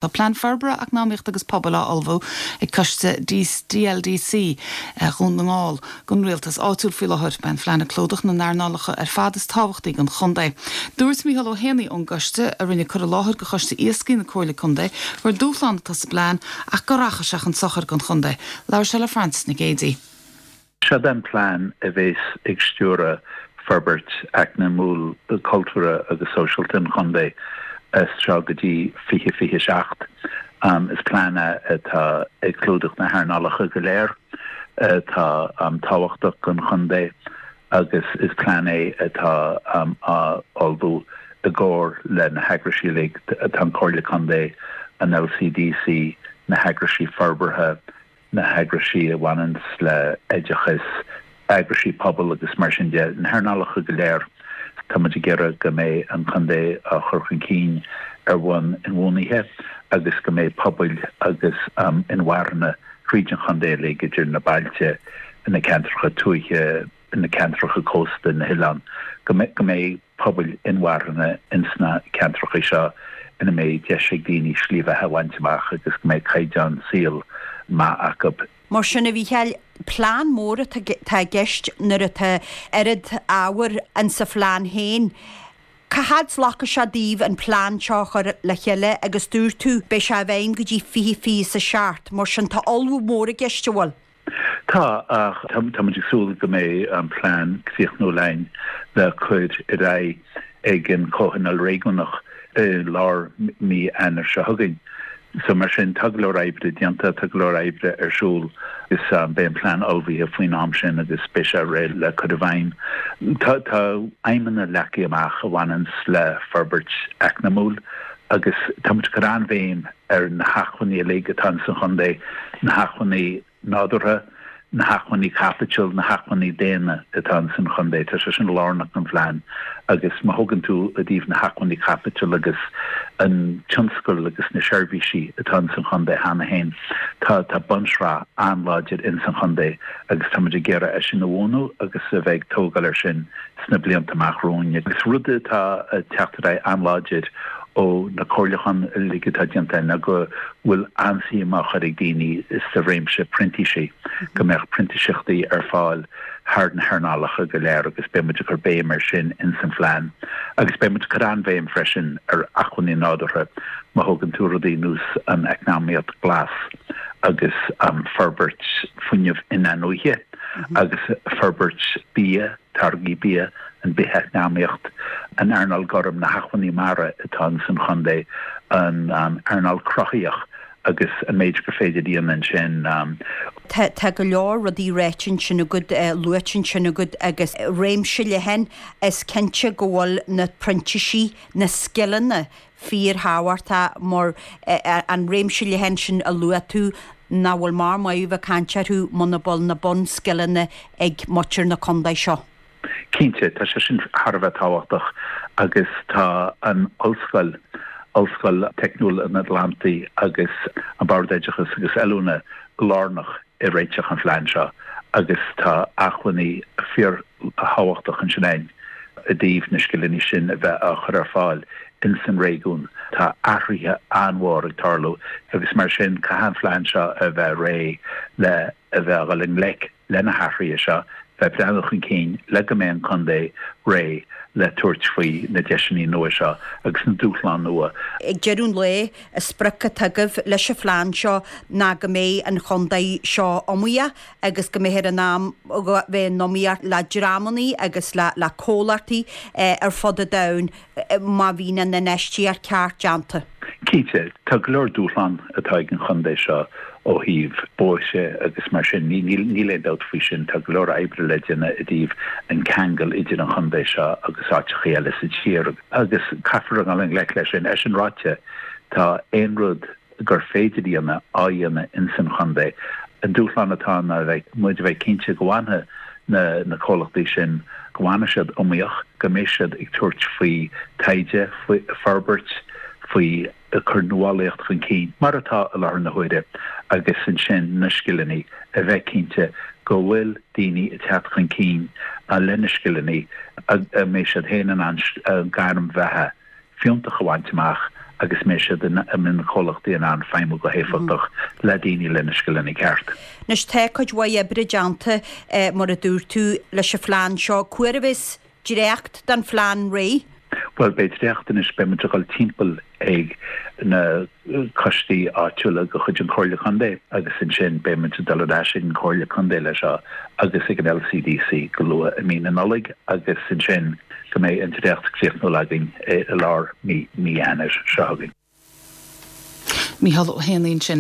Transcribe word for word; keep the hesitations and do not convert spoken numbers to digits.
Tá plean forbartha eacnamaíochta agus pobail á ullmhú ag coiste D L D C Dhún na nGall don rialtas áitiúil faoi láthair. Beidh an plean ag clúdach na n-earnálacha ar fad is tábhachtaí don chontae. Dúirt Mícheál Ó hÉanaí ón gcoiste, a rinne cur i láthair do choiste iascaigh na Comhairle Contae, gur dúshlán atá sa bplean ach go rachaidh sé chun sochair don chontae. Labhair sé le Frances Nic Géadaigh. Seo an plean a bheas ag stiúradh forbairt eacnamúil, cultúrtha agus sóisialta an chontae as seo go dtí fiche fiche seacht. Um, is plean atá ag clúdach na hearnálacha go léir atá um, tábhachtach don chontae agus is plean é atá um, á ullmhú i gcomhar le na heagraisí uilig, atá an Comhairle Contae, an L C D C, na heagraisí forbartha, na heagraisí a bhaineann le oideachas, eagraisí pobail agus mar sin de, na hearnálacha go léir. Tá muid ag iarraidh go mbeidh an chontae á chur chun cinn ar bhonn inbhuanaithe agus go mbeidh pobail agus um, inmharthana tríd an chontae le idir na bailte, na ceantracha tuaithe, na ceantracha cósta, na hoileáin, go mbeidh pobail inmharthana insna ceantracha seo ina mbeidh deis ag daoine slí bheatha a bhaint amach agus go mbeidh caighdeán saoil maith acu. Mar sin, a Mhícheáil, plean mór atá i gceist nuair atá oiread ábhar in sa phlean féin. Cá fhad a ghlacfaidh sé daoibh an plean seo chur le chéile? Agus dúirt tú beidh sé i bhfeidhm go dtí fiche fiche a seacht, mar sin tá ullmhú mór i gceist, an bhfuil? Tá, ach tá muid ag súil go mbeidh an plean críochnaithe againn le cur ar aghaidh ag an comhthionól réigiúnach i lár mí Eanáir seo chugainn. So mar sin, tá go leor oibre déanta, tá go leor oibre ar siúl is um, beidh an plean ullmhaithe faoin am sin agus beidh sé réidh le cur i bhfeidhm. Tá tá aidhmeanna leagtha amach a bhaineann le forbairt eacnamúil agus tá cur an-bhéim ar na hacmhainní uilig atá sa chontae, na hacmhainní nádúrtha, na hacmhainní caipitil, na hacmhainní daonna atá san chontae. Tá sé sin lárnach don phlean agus má thugann tú i dtaobh na hacmhainní caipitil agus an tionscal agus na seirbhísí atá san chontae cheana féin. Tá tá bunsraith an-láidir in san chontae agus tá ag iarraidh é sin a bhuanú agus a bheith ag tógáil ar sin sna blianta amach romhainn. Agus rud atá teacht an-láidir ó na comhairliúcháin uilig atá déanta ná go bhfuil an-suim á chur ag daoine sa réimse printísigh, go mbeadh printíseachtaí ar fáil thar na hearnálacha go léir, agus beidh muid ag cur béim ar sin in san phlean. Agus beidh muid ag cur an-bhéim freisin ar acmhainní nádúrtha, má thugann tú rudaí ar nós an eacnamaíocht glas agus um, forbairt fuinneamh in-athnuaite agus forbairt bia, táirgí bia, an bhitheacnamaíocht, an earnáil ghorm, na hacmhainní mara atá san chontae, an um, earnáil chruthaitheach agus an méid gur féidir déanamh sin. Um, Tá go leor rudaí ráite ansin agat, uh, luaite ansin agat agus réimse leathan. Is cinnte go bhfuil na printísigh, na scileanna fíorthábhachtach, mar uh, an réimse leathan sin a luaigh tú nach bhfuil mar maith bheith caint orthu muna bhfuil na bunscileanna ag muintir na contae seo. Cinnte, tá sé sin thar a bheith tábhachtach agus tá an ollscoil, Ollscoil Teicniúil an Atlantaigh, agus an Bord Oideachais agus Oiliúna lárnach i réiteach an phlean seo agus tá acmhainní fíorthábhachtach ansin againn i dtaobh na scileanna sin a bheith á chur ar fáil in san réigiún. Tá athruithe an-mhór ag tarlú agus mar sin caithfidh an plean seo a bheith réidh le a bheith le ngleic le na hathruithe seo, bheith breathnú chun cinn le go mbeidh an contae réidh le tabhairt faoi na deiseanna nua seo agus na dúshláin nua. Ag deireadh an lae, an sprioc atá agaibh leis an phlean seo ná go mbeidh an chontae seo iomaíoch agus go mbeidh in ann bheith in iomaíocht le dreamanna agus le le comhlachtaí eh, ar fud an domhain eh, má bhíonn an infheistíocht ceart déanta. Cinnte, tá go leor dúshlán atá ag an chontae seo ó thaobh bóithre agus mar sin, níl aon dabht faoi sin. Tá go leor oibre le déanamh i dtaobh an ceangal idir an chontae seo agus áiteacha eile sa tír agus caithfear dul i ngleic leis sin. É sin ráite, tá aon rud gur féidir déanamh á dhéanamh in san chontae. An dúshlán atá ná bheith muid bheith cinnte go bhfanfaidh na na comhlachtaí sin, go bhfanfaidh siad iomaíoch, go mbeidh siad ag tabhairt faoi taighde, faoi forbairt, faoi cur nuálaíocht chun cinn mar atá i láthair na huaire, agus ansin na scileanna, a bheith cinnte go bhfuil daoine ag teacht chun cinn lena scileanna, a mbeidh siad féin in ann gairm bheatha fiúntach a bhaint amach. agus mbeidh siad in mbeidh na comhlachtaí in ann feidhmiú go héifeachtach le daoine lena scileanna ceart. Anois tá cuid mhaith oibre déanta mar a dúirt tú leis an phlean seo. Cá huair a bheas dréacht den phlean réidh? Bhuel beidh dréacht anois beidh muid ag dul timpeall ag na coistí áitiúla de chuid an Chomhairle Contae agus ansin beidh muid ag dul ar ais ag an Chomhairle Contae leis seo agus ag an LCDC go luath i mí na Nollag agus ansin go mbeidh an dréacht críochnúil againn i lár mí mí Eanáir seo chugainn. Mícheál Ó hÉanaí ansin.